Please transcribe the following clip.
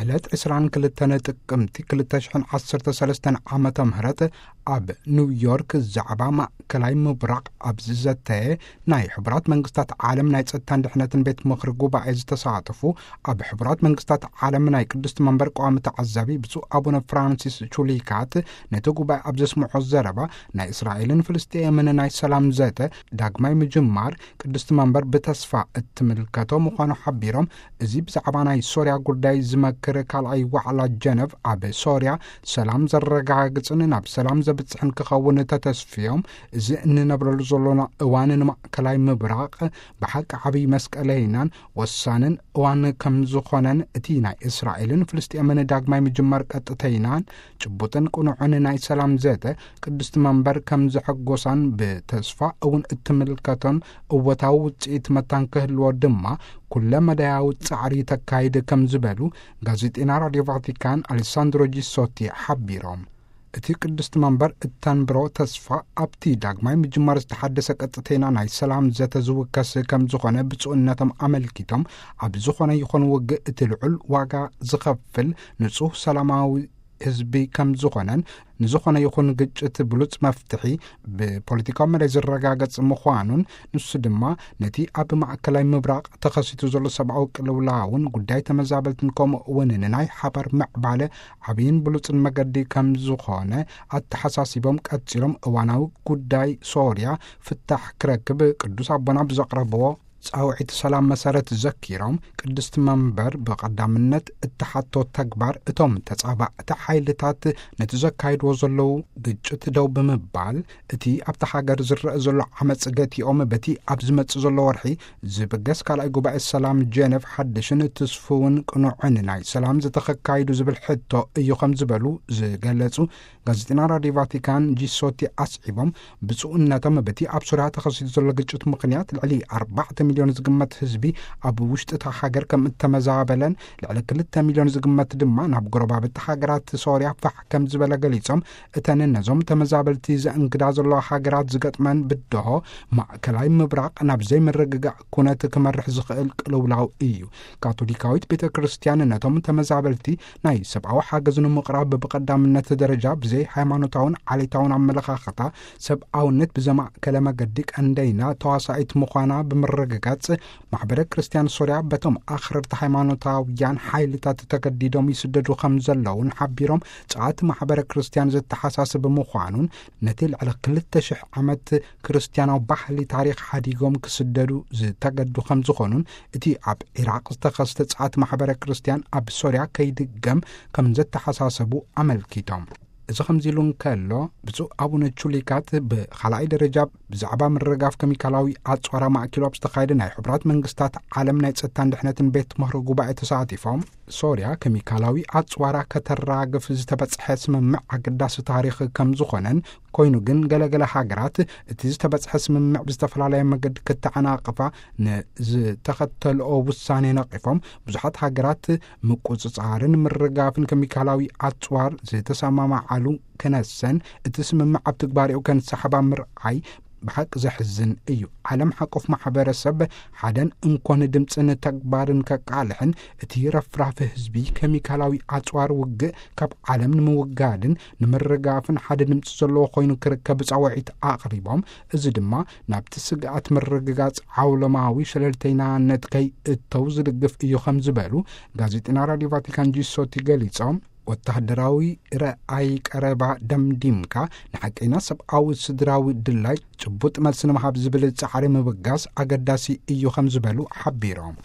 ዕለት ዕስራን ክልተን ጥቅምቲ ክልተ ሽሕን ዓሰርተ ሰለስተን ዓመተ ምህረት ኣብ ኒውዮርክ ዛዕባ ማእከላይ ምብራቕ ኣብ ዝዘተየ ናይ ሕቡራት መንግስታት ዓለም ናይ ጸጥታን ድሕነትን ቤት ምኽሪ ጉባኤ ዝተሳተፉ፣ ኣብ ሕቡራት መንግስታት ዓለም ናይ ቅድስቲ መንበር ቀዋሚ ተዓዛቢ ብፁዕ ኣቡነ ፍራንሲስ ቹሊካት ነቲ ጉባኤ ኣብ ዘስምዖ ዘረባ፣ ናይ እስራኤልን ፍልስጤምን ናይ ሰላም ዘተ ዳግማይ ምጅማር ቅድስቲ መንበር ብተስፋ እትምልከቶ ምዃኑ ሓቢሮም፣ እዚ ብዛዕባ ናይ ሶርያ ጉዳይ ዝመክር ካልኣይ ዋዕላ ጀነቭ ኣብ ሶርያ ሰላም ዘረጋግጽን ናብ ሰላም ዘብጽሕን ክኸውን ተተስፍዮም፣ እዚ እንነብረሉ ዘሎና እዋን ንማእከላይ ምብራቕ ብሓቂ ዓብዪ መስቀለይናን ወሳንን እዋን ከም ዝኾነን፣ እቲ ናይ እስራኤልን ፍልስጤምን ዳግማይ ምጅማር ቀጥተይናን ጭቡጥን ቅኑዕን ናይ ሰላም ዘተ ቅድስቲ መንበር ከም ዘሐጎሳን ብተስፋ እውን እትምልከቶን እወታዊ ውጽኢት መታን ክህልዎ ድማ ኩለ መዳያዊ ጻዕሪ ተካይድ ከም ዝበሉ ጋዜጠኛ ራድዮ ቫቲካን ኣሌሳንድሮ ጂሶቲ ሓቢሮም። እቲ ቅድስቲ መንበር እተንብሮ ተስፋ ኣብቲ ዳግማይ ምጅማር ዝተሓደሰ ቀጥተይና ናይ ሰላም ዘተ ዝውከስ ከም ዝኾነ ብፁዕነቶም ኣመልኪቶም፣ ኣብ ዝኾነ ይኹን ውግእ እቲ ልዑል ዋጋ ዝኸፍል ንጹህ ሰላማዊ ህዝቢ ከም ዝኾነን፣ ንዝኾነ ይኹን ግጭት ብሉጽ መፍትሒ ብፖለቲካዊ መዳይ ዝረጋገጽ ምዃኑን፣ ንሱ ድማ ነቲ ኣብ ማእከላይ ምብራቕ ተኸሲቱ ዘሎ ሰብኣዊ ቅልውላውን ጉዳይ ተመዛበልትን ከምኡ እውን ንናይ ሓባር ምዕባለ ዓብይን ብሉጽን መገዲ ከም ዝኾነ ኣተሓሳሲቦም፣ ቀጺሎም እዋናዊ ጉዳይ ሶርያ ፍታሕ ክረክብ ቅዱስ ኣቦና ብዘቕረብዎ ጻውዒት ሰላም መሰረት ዘኪሮም፣ ቅድስቲ መንበር ብቐዳምነት እተሓቶ ተግባር እቶም ተጻባእቲ ሓይልታት ነቲ ዘካይድዎ ዘለዉ ግጭት ደው ብምባል፣ እቲ ኣብታ ሃገር ዝረአ ዘሎ ዓመጽ ገቲኦም በቲ ኣብ ዝመጽእ ዘሎ ወርሒ ዝብገስ ካልኣይ ጉባኤ ሰላም ጀነቭ ሓድሽን ትስፉውን ቅኑዕን ናይ ሰላም ዘተ ከካይዱ ዝብል ሕቶ እዩ ከም ዝበሉ ዝገለጹ ጋዜጠኛ ራድዮ ቫቲካን ጂሶቲ ኣስዒቦም፣ ብፁዕነቶም በቲ ኣብ ሶርያ ተኸሲቱ ዘሎ ግጭት ምኽንያት ልዕሊ ኣርባዕተ ሚልዮን ዝግመት ህዝቢ ኣብ ውሽጢ እታ ሃገር ከም እተመዛበለን፣ ልዕሊ ክልተ ሚልዮን ዝግመት ድማ ናብ ጎረባብቲ ሃገራት ሶርያ ፋሕ ከም ዝበለ ገሊጾም፣ እተን ነዞም ተመዛበልቲ ዘእንግዳ ዘለዋ ሃገራት ዝገጥመን ብድሆ ማእከላይ ምብራቕ ናብ ዘይምርግጋእ ኩነት ክመርሕ ዝኽእል ቅልውላው እዩ። ካቶሊካዊት ቤተ ክርስቲያን ነቶም ተመዛበልቲ ናይ ሰብኣዊ ሓገዝ ንምቕራብ ብቐዳምነት ደረጃ ብዘይ ሃይማኖታውን ዓሌታውን ኣመለኻኽታ ሰብኣውነት ብዘማእከለ መገዲ ቀንደይና ተዋሳኢት ምዃና ብምርግጋጽ፣ ማሕበረ ክርስቲያን ሶርያ በቶም ኣኽረርቲ ሃይማኖታውያን ሓይልታት ተገዲዶም ይስደዱ ከም ዘለውን ሓቢሮም፣ ጸዓት ማሕበረ ክርስቲያን ዘተሓሳስብ ምዃኑን፣ ነቲ ልዕሊ ክልተ ሽሕ ዓመት ክርስቲያናዊ ባህሊ ታሪኽ ሓዲጎም ክስደዱ ዝተገዱ ከም ዝኾኑን፣ እቲ ኣብ ዒራቕ ዝተኸስተ ጸዓት ማሕበረ ክርስቲያን ኣብ ሶርያ ከይድገም ከም ዘተሓሳሰቡ ኣመልኪቶም። እዚ ከምዚ ኢሉ እንከሎ፣ ብፁዕ ኣቡነ ቹሊካት ብኻልኣይ ደረጃ ብዛዕባ ምርጋፍ ኬሚካላዊ ኣጽዋራ ማእኪሉ ኣብ ዝተኻየደ ናይ ሕቡራት መንግስታት ዓለም ናይ ጸጥታን ድሕነትን ቤት ምኽሪ ጉባኤ ተሳቲፎም፣ ሶርያ ኬሚካላዊ ኣጽዋራ ከተራግፍ ዝተበጽሐ ስምምዕ ኣገዳሲ ታሪኽ ከም ዝኾነን፣ ኮይኑ ግን ገለገለ ሃገራት እቲ ዝተበጽሐ ስምምዕ ብዝተፈላለየ መገዲ ክተዓናቕፋ ንዝተኸተልኦ ውሳኔ ነቒፎም፣ ብዙሓት ሃገራት ምቁጽጻርን ምርጋፍን ኬሚካላዊ ኣጽዋር ዝተሰማማዓሉ ክነሰን፣ እቲ ስምምዕ ኣብ ትግባሬኡ ከንሰሕባ ምርኣይ ብሓቂ ዘሕዝን እዩ። ዓለም ሓቆፍ ማሕበረሰብ ሓደን እንኮን ድምፅን ተግባርን ከቃልሕን፣ እቲ ረፍራፍ ህዝቢ ኬሚካላዊ ኣጽዋር ውግእ ካብ ዓለም ንምውጋድን ንምርጋፍን ሓደ ድምፂ ዘለዎ ኮይኑ ክርከብ ጻውዒት ኣቕሪቦም፣ እዚ ድማ ናብቲ ስግኣት ምርግጋጽ ዓውለማዊ ሸለልተይናነት ከይእተው ዝድግፍ እዩ ከም ዝበሉ ጋዜጠኛ ራድዮ ቫቲካን ጂሶቲ ገሊጾም፣ ወተሃደራዊ ረኣይ ቀረባ ደምዲምካ፣ ንሓቀይና ሰብኣዊ ስድራዊ ድላይ ጭቡጥ መልሲ ንምሃብ ዝብል ጻዕሪ ምብጋስ ኣገዳሲ እዩ ከም ዝበሉ ሓቢሮም።